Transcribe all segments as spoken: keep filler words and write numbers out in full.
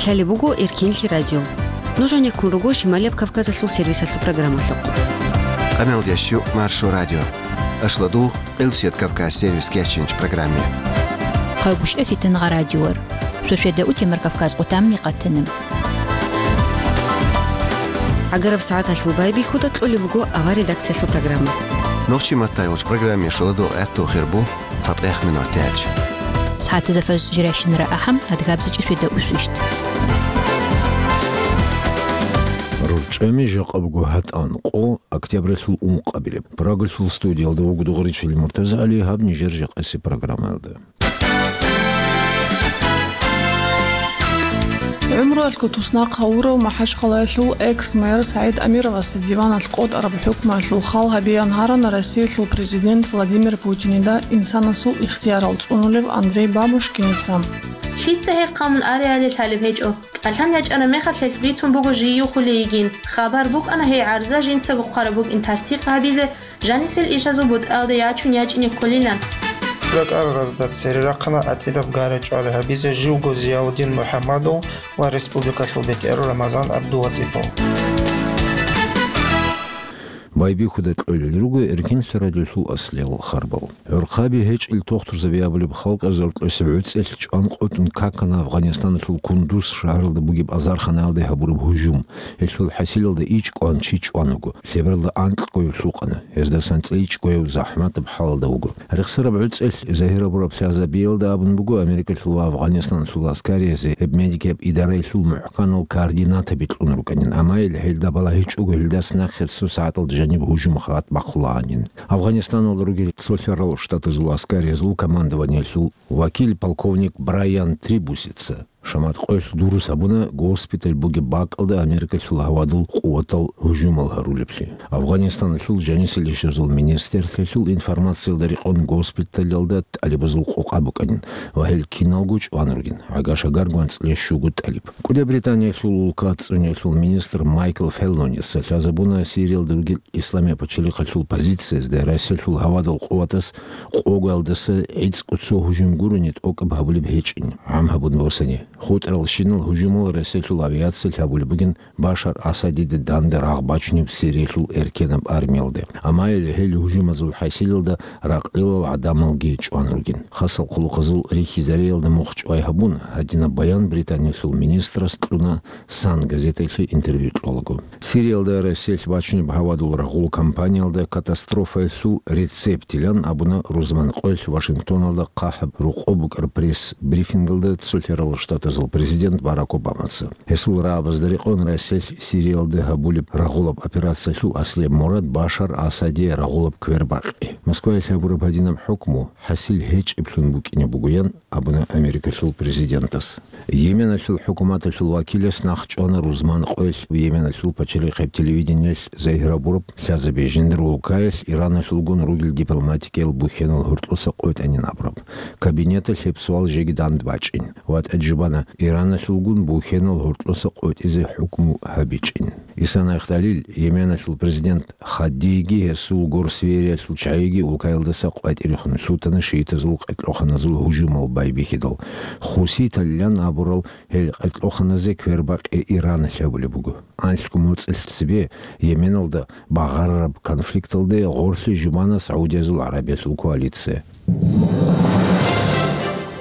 Лъалеб буго Эркенлъи радио. Нуж гьанеккун руго Шималияб Кавказалъул сервисалъул программалъухъ. Къаналдящу Маршо радио. Ашладугъ Къилбсият Кавказ сервис кечинч программе. Хъайбушев Фитангъа радиор. Шошведа утемар Кавказ къутамни къатана. ГӀагараб сагӀаталъул байбихьуда кьолеб буго авар редакциялъул программа. Нохчи маттайолч программе шоладо гӀатту хирбу цатӀех минуттелч. СагӀатаза фаз жиращинара ахӀам, адгабзичӀи шведа усвищт. РорчӀами жакъа буго гьатӀан къо, октябралъул ункъабилеб. Прагалъул студиялда вуго дугъричил МуртазагӀали, гьаб нижер жакъаси программаялда. ГӀумруялъго туснахъ гьавурав МахӀачхъалаялъул экс-мэр СагӀид Амировасе диваналъ къотӀараб хӀукмуялъул хал гьабеян гьарана Россиялъул президент Владимир Путинида инсанасул ихтиярал цӀунулев Андрей Бабушкиница. Лъица гьехъа мун ареали лъалеб гьечӀо. КӀалъан ячӀараб мехалъ гьелъ бицун буго жий юхулей йигин. Хабар букӀана гьей гӀарза жинцаго хъвараб букӀин тасдикъ гьабизе, жанисел ишазул бутӀалда ячун ячӀине кколилан. РакӀаргъазда цере рахъана гӀатӀидаб гара-чӀвали гьабизе живго Зияудин МухӀаммадов ва республикалъул бетӀерав Рамазан ГӀабдулатӀипов. Байбихьуда кьолел руго Эркенлъи радиолъул аслияб хабарал. ГӀурхъаби гьечӀел тохтурзаби абулеб халкъ гӀезаркьосеб гӀуцӀелъ чӀван къотӀун какана Афгъанистаналъул Кундуз шагьаралда бугеб азарханаялде гьабураб гьужум. Гьелъул хӀасилалда ичӀго чи чӀван вуго, лъебералда анкьгояв лъукъана, гьездасан цӀейчӀгояв захӀматаб хӀалалда вуго. Рехсараб гӀуцӀелъ загьир гьабураб лъазабиялда абун буго, Америкалъул ва Афгъанистаналъул аскариязде гьеб медикаб идараялъул мухӀканал координатаби кьун рукӀанин, амма гьел гьелда балагьичӀого гьелдаса нахъе цо сагӀаталда жаниб гьужум халат бахъулагьанин. Афгъанистаналда ругел Цолъарал Штатазул аскариязул командованиялъул вакил полковник Брайан Трибусица шамат къоялъ дурус гьабуна госпиталь бугеб бакӀалда Америкалъул гьавадул къуватал гьужумал гьарулеблъи. Афгъанистаналъул жанисел ишазул министрлъиялъул информациялда рекъон, госпиталялда тӀалибазул къокъа букӀанин ва гьел киналго чӀван ругин, гӀага-шагарго анцӀила щуго тӀалиб. КӀуди Британиялъул улка цӀуниялъул министр Майкл Феллоница лъазабуна Сириялда ругел Исламияб пачалихъалъул позициязда Россиялъул гьавадул къуватас къоялдаса гӀицӀго цо гьужум гурони тӀокӀаб гьабулеб гьечӀин, гӀам гьабун босани. ХутӀаралщинал гьужумал Россиялъул авиациялъ гьабулеб бугин Башар Асадида данде рагъ бачунеб Сириялъул эркенаб армиялде. Амма гьел гьужумазул хӀасилалда ракълилал гӀадамалги чӀван ругин. Хасал хъулухъазул рихьизариялда мухъ чӀвай гьабун, гьадинаб баян Британиялъул министрас кьуна Сан газеталъе интервью кьолаго. Сириялда Россиялъ бачунеб гьавадул рагъул кампаниялда катастрофаялъул рецептилан абуна рузман къоялъ Вашингтоналда хъахӀаб рокъоб букӀараб пресс-брифингалда Цолъарал Штатазул президент Барак Обамаца. Гьесул рагӀабазда рекъон Россиялъ Сириялда гьабулеб рагъулаб операциялъул аслияб мурад Башар Асадие рагъулаб квербакъи. Москваялъ гьабураб гьадинаб хӀукму хӀасил гьечӀеблъун букӀине бугоян абуна Америкалъул президентас. Йеменалъул хӀукуматалъул вакилас нахъ чӀвана рузман къоялъ Йеменалъул пачалихъеб телевидениялъ загьир гьабураб лъазаби жиндир улкаялъ Ираналъулгун ругел дипломатикиял бухьенал гьоркьоса къотӀанин абураб. Кабинеталъ гьеб суал жеги дандбачӀин. ВатӀа жубана, Ираналъулгун бухьенал гьоркьоса къотӀизе хӀукму гьабичӀин. Исан Айхталил, Йеменалъул президент Хаддиги гьесул горсвериялъул чагӀиги улкаялдаса къватӀирехун лъутана шиитазул къеркьоханазул гьужумал байбихьидал. Хуситалилан абурал гьел къеркьоханазе квербакъи Иран лъабулеб буго. Анлъго моцӀалъ цебе Йеменалда багъарараб конфликталде гъорлъе жубана Саудиязул ГӀарабиялъул коалиция.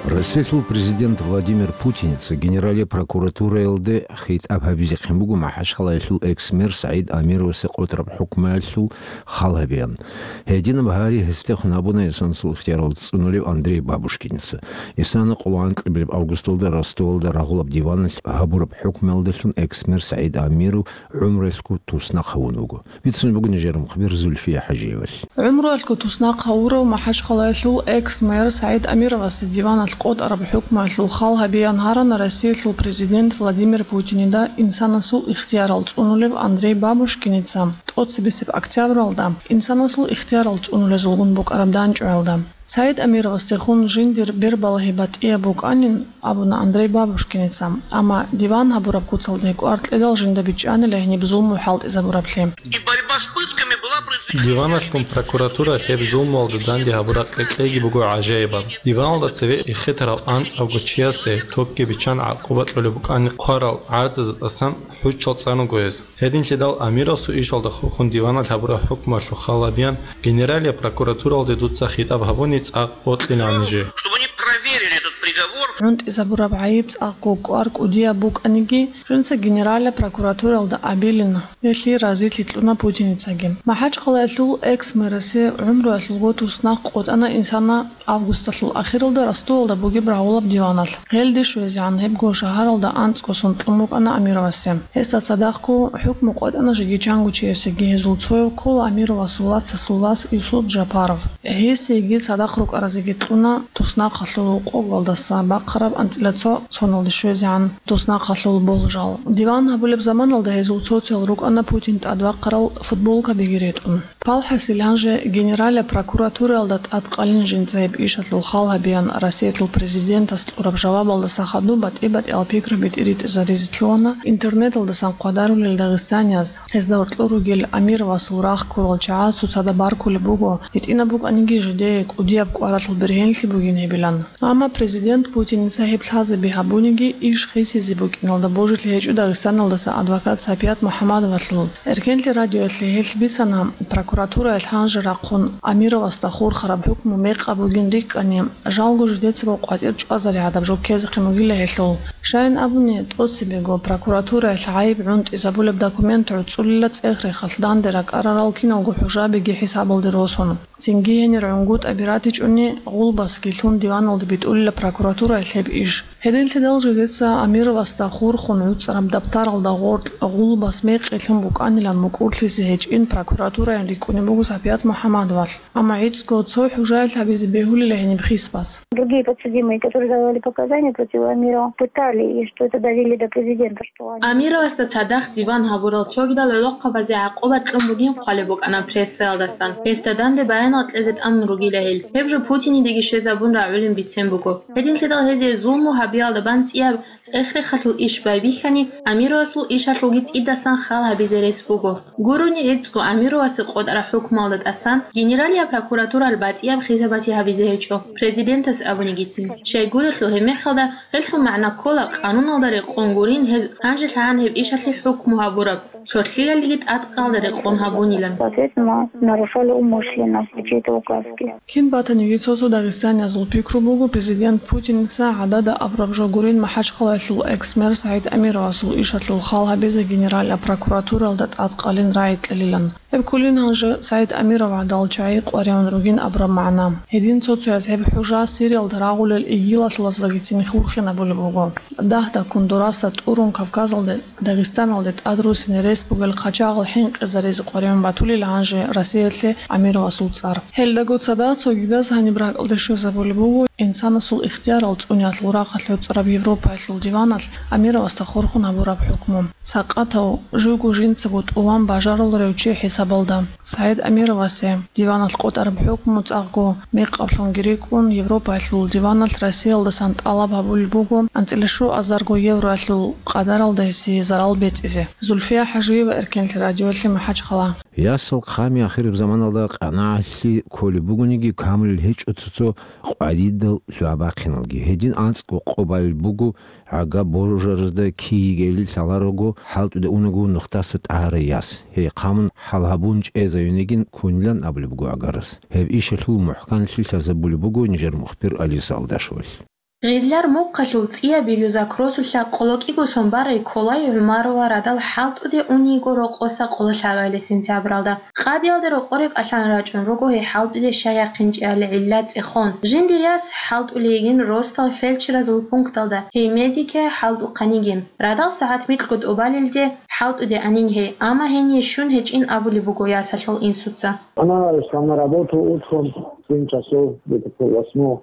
Россиялъул президент Владимир Путиница Генералияб прокуратураялде хитӀаб гьабизехъин буго МахӀачхъалаялъул экс-мэр СагӀид Амировасе къотӀараб хӀукмаялъул хал гьабеян. Гьединаб гьари гьесдехун гьабуна инсанасул ихтиярал цӀунулев Андрей Бабушкиница. Исана къоло анкьабилеб августалда Ростовалда рагъулаб диваналъ гьабураб хӀукмаялдалъун экс-мэр СагӀид Амиров гӀумруялъго туснахъ гьавун вуго. Бицун буго нижер мухбир Зульфия ХӀажиевалъ. ГӀумруялъго туснахъ гьавурав МахӀачхъалаялъул экс-мэр СагӀид Амировасе диваналъ къотӀараб хӀукмуялъул хал гьабеян гьарана Россиялъул президент Владимир Путинида инсанасул ихтиярал цӀунулев Андрей Бабушкиница тӀоцебесеб октябралда инсанасул ихтиярал цӀунулезулгун букӀараб данчӀваялда. СагӀид Амировасдехун жиндир бербалагьи батӀияб букӀанин абуна Андрей Бабушкиница, амма диван гьабураб куцалде кӀвар кьедал жинда бичӀчӀанила гьениб зулму хӀалтӀизабураблъи. И борьба с пытками была произведена Диваналъгун прокуратура гьеб зулмуялда данде гьабураб кьекьейги буго гӀажаибаб. Диваналда цеве эхетарав анцӀавго чиясе токги биччан гӀакъуба кьолеб букӀани хъварал гӀарзазатӀасан хӀуччал цӀан руго гьез. Гьединлъидал Амировасул ишалда хурхун диваналъ гьабураб хӀукмуялъул хал гьабеян, Генералия прокуратуралде дуца хитӀаб гьабуни цӀакъ бокьилаан нижее. Чтобы они проверили этот приговор. ГӀунтӀизабураб гӀайиб цӀакъго кӀвар кӀудияб букӀаниги, жинца Генералия прокуратуралда абилин, гьелъие разилъи кьуна Путиницаги. МахӀачхъалаялъул экс-мэрасе гӀумруялъулго туснахъ къотӀана инсана августалъул ахиралда Ростовалда бугеб рагъулаб диваналъ. Гьелде щвезегӀан гьебго шагьаралда анцӀго сон кьун букӀана Амировасе. Гьесда цадахъго хӀукму къотӀана жеги чанго чиясеги, гьезул цояв ккола Амировасул вацасул вас Юсуп Жапаров. Гьесиеги цадахъ рукӀаразеги кьуна туснахъалъул къоголдаса бахъараб анцӀила цо соналде щвезегӀан туснахъалъул болжал. Диван гьабулеб заманалда гьезул цоцал рукӀана Путин тӀадвахъарал футболкабиги ретӀун. Палхасил гьанже Генералия прокуратуралда тӀадкъалин жинца гьеб ишалъул хал гьабеян Россиялъул президентас кьураб жавабалдаса хадуб батӀи-батӀиял пикраби тӀиритӀизаризе лъугьана интернеталдасан хъвадарулел дагъистанияз, гьезда гьоркьор ругел Амировасул рахъ ккурал чагӀаз цоцазда баркулеб буго, гьитӀинаб букӀаниги жидее кӀудияб кӀваралъул бергьенлъи бугин гьебилан. Амма президент Путиница гьеб лъазаби гьабуниги, иш хисизе букӀиналда божилъи гьечӀо Дагъистаналдаса адвокат Сапият МухӀаммадовалъул. Эркенлъи радиоялъе гьелъ бицана, прокуратураялъ гьанже рахъун Амировасда хурхараб хӀукму мекъаб бугин рикӀкӀани, жалго жидецаго къватӀир чӀвазари гӀадаб жо ккезехъин бугила гьелъул. Щайин абуни, тӀоцебего прокуратураялъ гӀайиб гӀунтӀизабулеб документ гӀуцӀулила цӀех-рехалъ данде ракӀарарал киналго хӀужабиги хӀисабалде росун. Цинги гьенир гӀунгутӀаби ратичӀони, гъулбасги лъун диваналде битӀулила прокуратураялъ гьеб иш. Гьединлъидал жидеца Амировасда хурхун гӀуцӀараб даптаралда гъоркь гъулбас мекъи лъун букӀанилан мукӀурлъизе гьечӀин прокуратураян рикӀкӀунеб буго Сапият МухӀаммадовалъ. Амма гӀицӀго цо хӀужаялъ гьабизе бегьулила гьениб хисбас. Другие подсудимые, которые давали показания против Амирова, пытали, и что это довели до президента, что они... Амировасда цадахъ диван гьабурал цогидал гӀолохъабазе гӀакъуба кьун бугин хъвалеб букӀана прессаялдасан. Гьесда данде баянал кьезе тӀамун ругила гьел. Гьеб жо Путинидеги щвезабун рагӀулин бицен буго. Гьединлъидал гьезие зулму гьабиялда бан цӀияб цӀех-рехалъул иш байбихьани, Амировасул ишалъулги цӀидасан хал гьабизе рес буго. Гурони гӀицӀго Амировасе къотӀараб хӀукмуялда тӀасан Генералия прокуратуралъ батӀияб хисабазе гьабизе гьечӀо, президентас абунигицин. Щайгурелъул гьеб мехалда гьелъул магӀна ккола, къануналда рекъон гурин гьез гьанжелъагӀан гьеб ишалъе хӀукму гьабураб, цолъиялдеги тӀадкъалда рекъон гьабунилан. Соответственно, нарушали умышленно все эти указки. Кин батаниги цо-цо дагъистаниязул пикру буго, президент Путиница гӀадада абураб жо гурин МахӀачхъалаялъул экс-мэр СагӀид Амировасул ишалъул хал гьабизе Генеральная прокуратуралда тӀадкъалин рагӀи кьелилан. Гьеб кколин гьанже СагӀид Амиров гӀадал чагӀи къваригӀун ругин абураб магӀна. Гьедин цо-цояз гьеб хӀужа Сириялда рагъулел игилалъулаздаги цин хурхинабулеб буго. Дагь-дагьккун дураса тӀурун Кавказалде, Дагъистаналде тӀад руссине рес бугел хъачагъал хӀинкъизаризе къваригӀун батулел гьанже Россиялъе Амировасул цӀар. Гьелдаго цадахъ цогидаз гьаниб ракӀалде щвезабулеб буго инсанасул ихтиярал цӀуниялъул рахъалъ гӀуцӀараб Европаялъул диваналъ Амировасда хурхун гьабураб хӀукму. Сакъатав, живго жинцаго тӀуван бажаруларев чи хӀисабалда, СагӀид Амировасе диваналъ къотӀараб хӀукму цӀакъго мекъаблъунги рикӀкӀун, Европаялъул диваналъ Россиялдасан тӀалаб гьабулеб буго анцӀила щуазарго евроялъул къадаралда гьесие зарал бецӀизе. Зульфия ХӀажиева, Эркенлъи радиоялъе, МахӀачхъала. Ясал хъами ахираб заманалда къанагӀалъи кколеб бугониги, камулел гьечӀо цо-цо къваридал лъугӀа-бахъиналги. Гьедин анцӀго къо балел буго, гӀага божаразда киги гели лъаларого, хӀалтӀуда унаго нухдаса тӀагьарай яс. Гьей хъамун хӀал гьабун чӀезаюнегин кунилан абулеб буго гӀагарас. Гьеб ишалъул мухӀканлъи лъазабулеб буго нижер мухбир Алиса Алдашевалъ. Гъизлар мухъалъув цӀияб Юзак росулъа къоло кӀиго сон барай Колай ГӀумарова радал хӀалтӀуде униго рокъоса къоло лъабабилеб сентябралда. Къадиялде рокъоре кӀалъан рачӀун руго гьей хӀалтӀуде щай яхъинчӀебали гӀилла цӀехон. Жиндир яс хӀалтӀулей йигин росдал фельдшеразул пункталда, гьей медике хӀалтӀухъан йигин. Радал сагӀат микьго тӀубалелде хӀалтӀуде анин гьей, амма гьение щун гьечӀин абулеб буго ясалъул инсуца. Она шла на работу утром в семь часов, где-то пол восьмого.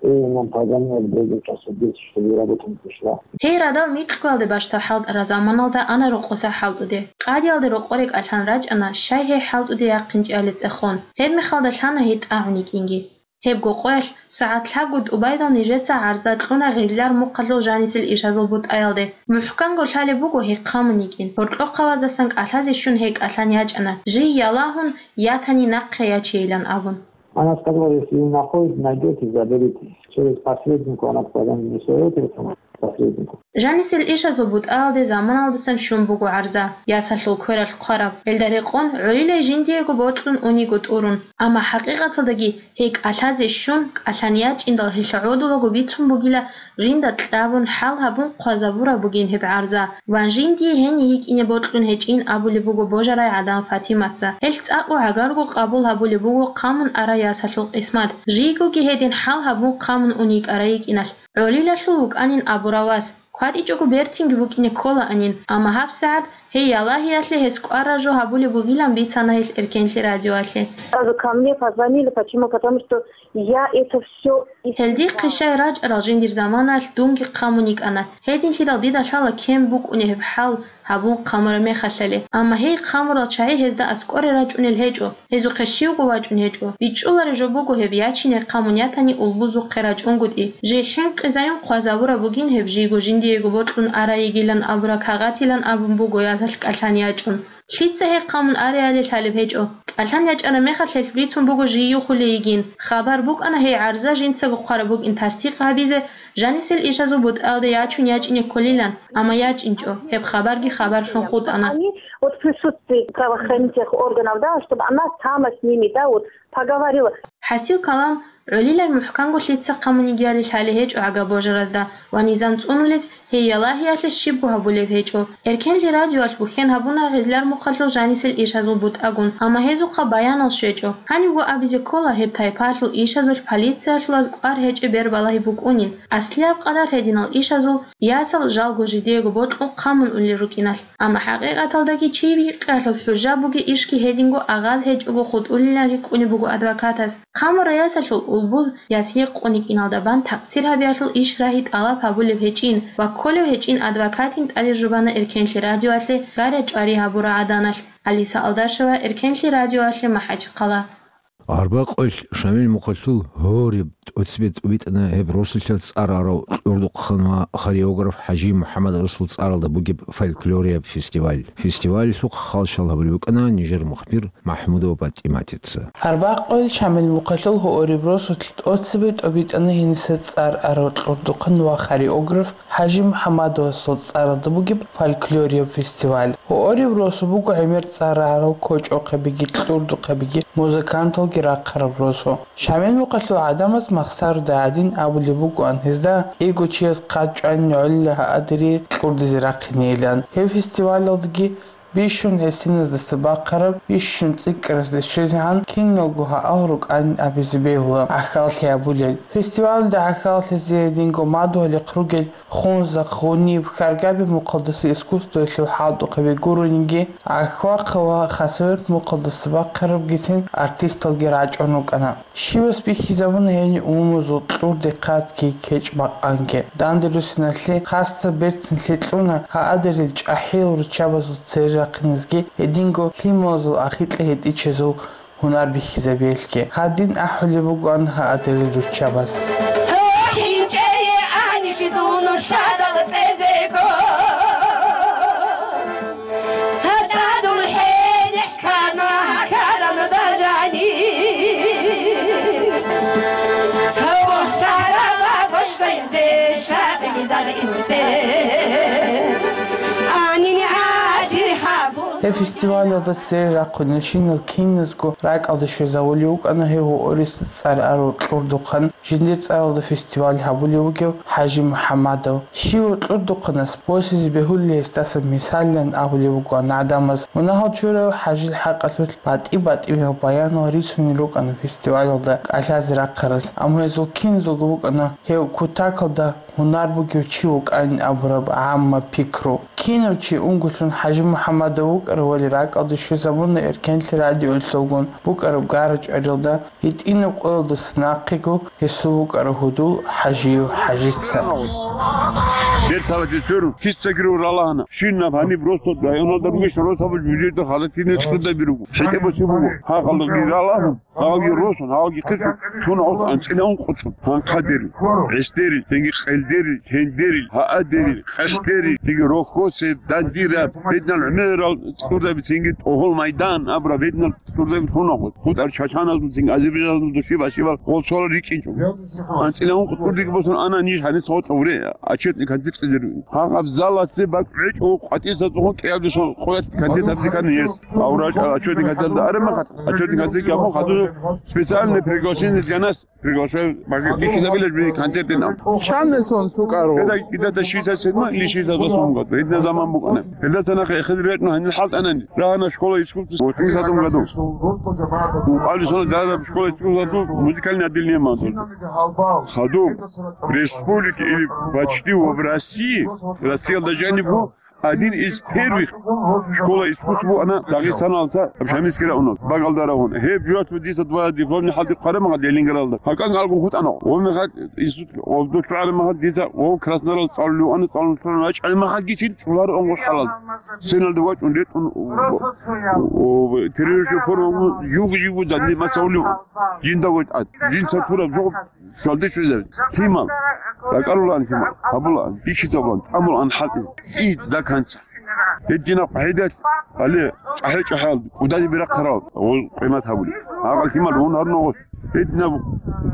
И нам позвонили в девять часов десять, чтобы работа не пришла. Гьей радал микьгоялде бащдаб хӀалтӀараб заманалда ана рокъоса хӀалтӀуде. Къадиялде рокъоре кӀалъан рачӀана, щай гьей хӀалтӀуде яхъинчӀебали цӀехон. Гьеб мехалда лъана гьей тӀагӀун йикӀинги. Гьебго къоялъ сагӀат лъабго тӀубайдал нижеца гӀарза кьуна гъиллар мухъалъул жанисел ишазул бутӀаялде. МухӀканго лъалеб буго гьей хъамун йикӀин. Гьоркьохъабаздасан кӀалъазе щун гьей кӀалъан ячӀана, жий ялагьун, ятани нахъе ячейилан абун. Она сказала, если вы находите, найдете, заберите. Через посредника она сказала, не своего телефона, посреднику. Жанисел ишазул бутӀаялде заманалдасан щун буго гӀарза, ясалъул квералъ хъвараб. Гьелда рекъон гӀолилай жиндиего бокьун униго тӀурун. Амма хӀакъикъаталдаги гьей кӀалъазе щун, кӀалъан ячӀиндал гьелъ гӀодулаго бицун бугила, жинда кьабун, хӀал гьабун хъвазабураб бугин гьеб гӀарза, ва жиндие гьенив йикӀине бокьун гьечӀин абулеб буго божарай гӀадан Фатиматца. Гьелъ цӀакъго гӀагарго къабул гьабулеб буго хъамун арай ясалъул къисмат, жийгоги гьедин хӀал гьабун хъамун ун йикӀарай йикӀиналъ. ГӀолилалъул вукӀанин абурав вас. КватӀичӀого бертинги букӀине кколаанин, амма гьабсагӀат гьей ялагьиялъе гьес кӀвар ражу гьабулеб бугилан бицана гьелъ Эркенлъи радиоялъе. Сразу ко мне позвонили. Почему? Потому что я это всё... Гьел дихъе щай рачӀарал жиндир заманаялъ дунги хъамун йикӀана. Гьединлъидал дида лъала кин букӀунеб гьеб хӀал гьабун хъамураб мехалъали. Амма гьей хъамурал чагӀи гьезда аскӀоре рачӀунел гьечӀо. Гьезухъе щивго вачӀун гьечӀо. БичӀчӀулареб жо буго гьеб ячине хъамун ятани улбузухъе рачӀунгутӀи. Жий хӀинкъизаюн хъвазабураб бугин гьеб жийго жиндиего бокьун арай йигилан абураб кагъатилан абун буго язалъ кӀалъан ячӀун. Лъица гьей хъамун ареали лъалеб гьечӀо. КӀалъан ячӀараб мехалъ гьелъ бицун буго жий юхулей йигин. Хабар букӀана гьей гӀарза жинцаго хъвараб букӀин тасдикъ гьабизе, жанисел ишазул бутӀаялде ячун ячӀине кколилан, амма ячӀинчӀо, гьеб хабарги хабарлъун хутӀана. Они вот в присутствии правоохранительных органов, да, чтобы она сама с ними, да, вот поговорила. ХӀасил калам, гӀолилай мухӀканго лъица хъамун йигиали лъалеб гьечӀо гӀага божаразда ва низам цӀунулез гьей ялагьиялъе щибго гьабулеб гьечӀо. Эркенлъи радиоялъ бухьен гьабуна гъиллар мухъалъул жанисел ишазул бутӀагун, амма гьезухъа баянал щвечӀо. Гьанибго абизе ккола гьеб тайпаялъул ишазулъ полициялъулаз кӀвар гьечӀеб бер балагьи букӀунин, аслияб къадар гьединал ишазул ясал жалго жидеего бокьун хъамун улел рукӀиналъ. Амма хӀакъикъаталдаги чи бикъиялъул хӀужа бугеб ишги гьединго агъаз гьечӀого хутӀулилан рикӀкӀунеб буго адвокатас. Хъамурай ясалъул улбул яс гьекъон йикӀиналда бан такъсир гьабиялъул иш рагьи тӀалаб гьабулеб гьечӀин ва кколев гьечӀин адвокатин тӀадежубана Эркенлъи радиоялъе гаря чӀвари гьабураб гӀаданалъ. Алиса Алдашева, Эркенлъи радиоялъе, МахӀачхъала. Арбакъойл Шамил мухъалъул гьориб тӀоцебе тӀубитӀана гьеб росулъа цӀар арав кьурдухъан ва хореограф ХӀажи МухӀаммадовасул цӀаралда бугеб фольклорияб фестиваль. Фестивалалъухъ халщал гьабулеб букӀана нижер мухбир МахӀмудова ПатӀиматица. Арбакъойл Шамил мухъалъул гьориб росулъ тӀоцебе тӀубитӀана гьениса цӀар арав кьурдухъан ва хореограф ХӀажи МухӀаммадовасул цӀаралда бугеб фольклорияб фестиваль. Гьориб росу буго гӀемер цӀар арал кочӀохъебиги кьурдухъебиги музыканталги рахъараб росу. Шамил мухъалъул гӀадамаз махсаруда гӀадин абулеб бугоан гьезда, кӀиго чияс хъат чӀванин гӀолила гьадире кьурдизе рахъинейилан. Гьеб фестивалалдаги бищун гӀисиназдаса бахъараб, бищун цӀикӀкӀарасда щвезегӀан киналго гьал рукӀанин абизе бегьула гӀахьаллъи гьабулел. Фестивалалда гӀахьаллъизе гьединго мадугьалихъ ругел хунзахъ, гъуниб, хьаргаби мухъалдаса искусствоялъул хӀалтӀухъаби гурониги, гӀахьвахъа ва хасавюрт мухъалдаса бахъарабгицин артисталги рачӀун рукӀана. Щивас бихьизабуна гьениб умумузул кьурдехъатги кечӀ-бакъанги. Данде руссиналъе хасса берцинлъи кьуна гьадерил чӀахӀиял руччабазул цере рахъинезги, гьединго лъималазул ахикьа гьетӀичезул гьунар бихьизабиялъги. Гьадин ахӀулеб бугоан гьадерил руччабаз. ХӀинчӀее анищ дун лъадал цӀезего. ХӀатӀадул хӀенехъ ккана каран дажани. Гьаб сарала бошайзе шагьидал инсте. Анин асир гьабу. Гьеб фестивалалда цере рахъунел щинал киназго ракӀалде щвезавулев вукӀана гьев гьорисез цӀар арав кьурдухъан. Жиндир цӀаралда фестиваль гьабулев вугев ХӀажи МухӀаммадов. Щивав кьурдухъанас босизе бегьулел гьесдасан мисаллъун абулев вугоан гӀадамаз. Мунагьал чурав ХӀажил хӀакъалъулъ батӀи-батӀиял баянал рицунел рукӀана фестивалалда кӀалъазе рахъараз. Амма гьезул киназулго букӀана гьев кутакалда гьунар бугев чи вукӀанин абураб гӀамма пикру. Кинав чи унго лъун ХӀажи МухӀаммадов вукӀаравали ракӀалде щвезабуна Эркенлъи радиоялъулгун букӀараб гара-чӀварилда. ГьитӀинаб къоялдаса нахъего гьесул вукӀарав гьудул ХӀажиев ХӀажица. Берталасе сверун, киса гиру ралагьана. Щинаб гьаниб росдал районалда ругеш росаб жужеда халатине тӀурда биругу. ШетӀебоси буго. Гьагъалги ралагьун, гьагъалги росун, гьагъалги хъисун, шуна ос анцӀила ункъутун. Гьанхъадери, гӀесдери, тенги къелдери, тендери, гьаадери, къашлъери, тенги рохьосе, дандира, беднал гӀумерал тӀурда бицинги тӀогьол майдан абра беднал тӀурда бицунагъо. ХутӀар чачаназул цинги азербайжаназул души башибал гъолсола рикӀинчӀо. АнцӀила ункъутун рикӀ босун ана ниж гьанис гъотӀа уре, отчетный концерт цӀидер. Гьагъаб заласе бакӀ гӀечӀо къватӀиса цӀугъун кӀиабдесон къоялъ концерт гьабизе ккани гьес. Аврач отчетный концерталда араб махат, отчетный концерт гьабун хадур специальное приглашение для нас. Приглашаю, бихьизабилеб би концертин ам. Чан эсон лъукӀаро? Гьеда, гьеда шийсад седьмой или шийсад восьмом году. Гьедина заман букӀана. Гьелдаса нахъе эхир рекӀун гьанил хӀалтӀанани. Рагьана школа искусств восьмидесятом году. Укъали соналъ дагьаб школа искусств музыкальное отделение ман. Хадуб республики или почти в России, Россиялда жаниб бу, один из первых школа искусств буана Дагъистаналца Шамилский районал, Багалда район. Гьеб жугьутӀ дица два дипломный хӀалдихъ хъвараб махал Ленинградалда. ГьакӀан алгун хутӀана. Ва мехалъ институт обдулъ гӀараб махал дица ва Краснодаралда цӀалулев ана, цӀалун цӀалун вачӀараб махал гицин чӀулар онгъуш хӀалал. Сеналда вачӀун ретӀун, о, террористчи форма, юг-югу данде масавлив. Жинда ватӀат. Жинца тураб жо Шалдиш везар, лъимал, ракӀарулаан лъимал, гьабулаан, бихьизабулаан, тӀамулаан хӀалтӀи, и даканца. Гьединаб къагӀидалъ, гьале, чӀахӀи-чӀахӀал, кӀудали бирахъарал, гъол къимат гьабули. Гьагъал лъимал гьун гьарун гъос. Гьединаб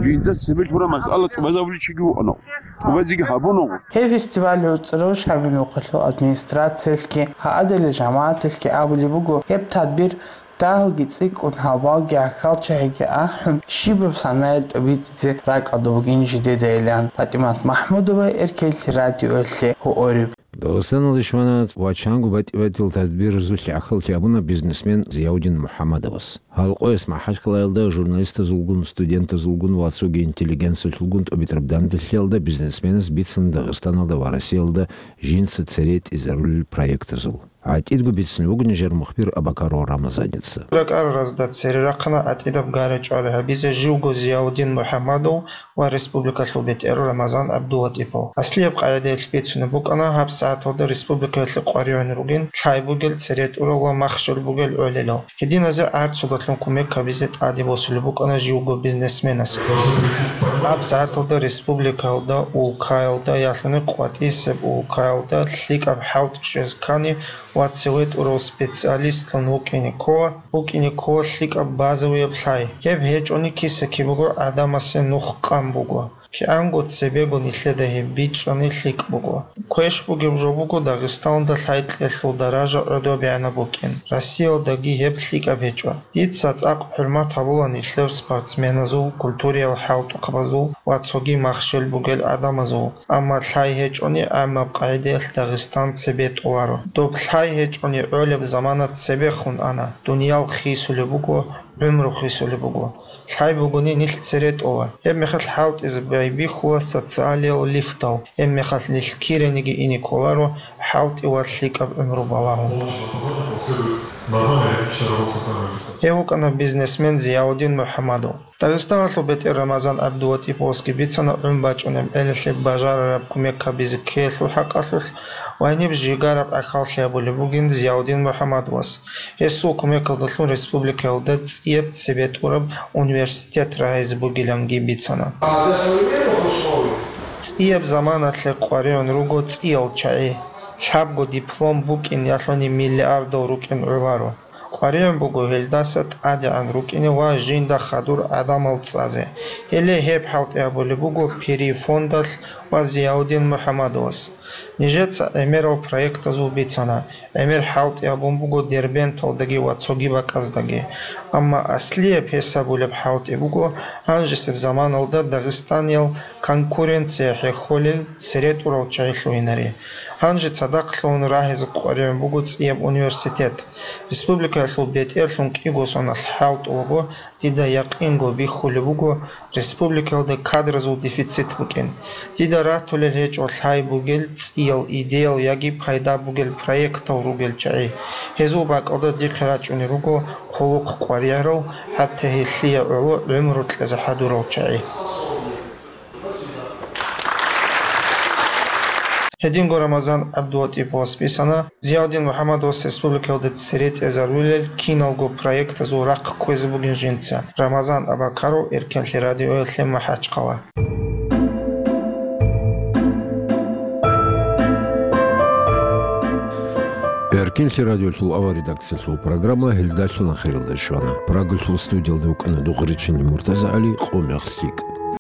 жинца цебе лъура масъала тӀубазабуличиги вукӀана. ТӀубазеги гьабуна гъос. Гьеб фестиваль гӀуцӀрав Шамил мухъалъул администрациялъги, гьаадали жамагӀаталъги абулеб буго, гьеб тадбир Дагьалги цӀикӀкӀун, гьалбалги гӀахьалчагӀиги ахӀун, щибаб санаялъ тӀобитӀизе ракӀалда бугин жидедайилан. ПатӀимат МахӀмудова, Эркелъи радиоялъе гьуориб. Дагъистаналде щвана ва чанго батӀи-батӀиял тадбирзулъ гӀахьаллъи гьабуна бизнесмен Зияудин МухӀаммадовас. Гьалкъояс МахӀачкъалаялда журналистазулгун, студентазулгун ва цоги интеллигенциялъулгун тӀобитӀараб данделъиялда бизнесменас бицана Дагъистаналда ва Россиялда жинца цере тӀизарулел проектазул. ГӀатӀидго бицунеб буго нижер мухбир Абакаров Рамазаница. РакӀаразда цере рахъана гӀатӀидаб гара-чӀвара гьабизе живго Зияудин МухӀаммадов ва республикалъул бетӀер Рамазан ГӀабдулатӀипов. Аслияб къагӀидаялъ бицунеб букӀана гьаб сагӀаталда республикаялъе къваригӀун ругин лъай бугел цере тӀурал ва махщел бугел гӀолилал. Гьединазе гӀарцудалъун кумек гьабизе тӀаде босулеб букӀана живго бизнесменас. Гьаб сагӀаталда республикаялда, улкаялда, ялъуни къватӀисеб улкаялда лъикӀаб хӀалтӀи щвезе ккани, ва цеве тӀурав специалистлъун вукӀине ккола, вукӀине ккола лъикӀаб базавияб лъай. Гьеб гьечӀони киса-кибего гӀадамасе нух къан буго. КигӀанго цебего нилъеда гьеб бичӀчӀани лъикӀ буго. Квеш бугеб жо буго Дагъистаналда лъай кьелъул даража гӀодобегӀанаб букӀин, Россиялдаги гьеб лъикӀаб гьечӀо. Дица цӀакъ хӀурмат гьабула нилъер спортсменазул, культуриял хӀалтӀухъабазул ва цоги махщел бугел гӀадамазул. Амма лъай гьечӀони, гӀаммаб къагӀидаялъ Дагъистан цебе тӀоларо. Доб лъай гьечӀони, гӀолеб замана цебехун ана, дуниял хисулеб буго, гӀумру хисулеб буго. Лъай бугони, нилъ цере тӀола. Гьеб мехалъ хӀалтӀизе байбихьула социалиял лифтал, гьеб мехалъ нилъ кирениги ине кколаро хӀалтӀи ва лъикӀаб гӀумру балагьун. Гьев вукӀана бизнесмен Зияудин МухӀаммадов. Дагъистаналъул бетӀер Рамазан ГӀабдулатӀиповасги бицана гӀун бачӀунеб гӀелалъе бажарараб кумек гьабизе ккеялъул хӀакъалъулъ ва гьениб жигараб гӀахьаллъи гьабулеб бугин Зияудин МухӀаммадовас. Гьесул кумекалдалъун республикаялда цӀияб цебетӀураб университет рагьизе бугиланги бицана. ЦӀияб заманалъе къваригӀун руго цӀиял чагӀи. Лъабго диплом букӀин ялъуни миллиардал рукӀин гӀоларо. КъваригӀун буго гьелдаса тӀадегӀан рукӀине ва жинда хадур гӀадамал цӀазе. Гьеле гьеб хӀалтӀи гьабулеб буго Пири фондалъ ва Зияудин МухӀаммадовас. Нижеца гӀемерал проектазул бицана, гӀемер хӀалтӀи гьабун буго Дербенталдаги ва цоги бакӀаздаги. Амма аслияб гьесабулеб хӀалтӀи буго гьанжесеб заманалда дагъистаниял конкуренция хӀехьолел цере тӀурал чагӀи лъугьинаре. Гьанже цадахъ лъугьун рагьизе къваригӀун буго цӀияб университет. Республикаялъул бетӀерлъун кӀиго соналъ хӀалтӀулаго, дида якъинго бихьулеб буго республикаялда кадразул дефицит букӀин. Дида ратулел гьечӀо лъай бугел цӀиял идеял яги пайда бугел проектал ругел чагӀи. Гьезул бакӀалда дихъе рачӀунел руго хъулухъ къваригӀарал, хӀатта гьелъие гӀоло гӀумру кьезе хӀадурал чагӀи. Гьединго Рамазан ГӀабдулатӀиповас бицана Зиявдин МухӀаммадовас республикалда цере тӀезарулел киналго проектазул рахъ кквезе бугин жинца. Рамазан Абакаров, Эркенлъи радиоялъе, МахӀачхъала. Эркенлъи радиолъул авар редакциялъул программа гьелдалъун ахиралде щвана. Прагалъул студиялда вукӀана Духъричинни МуртазагӀали, къо мех лъикӀ.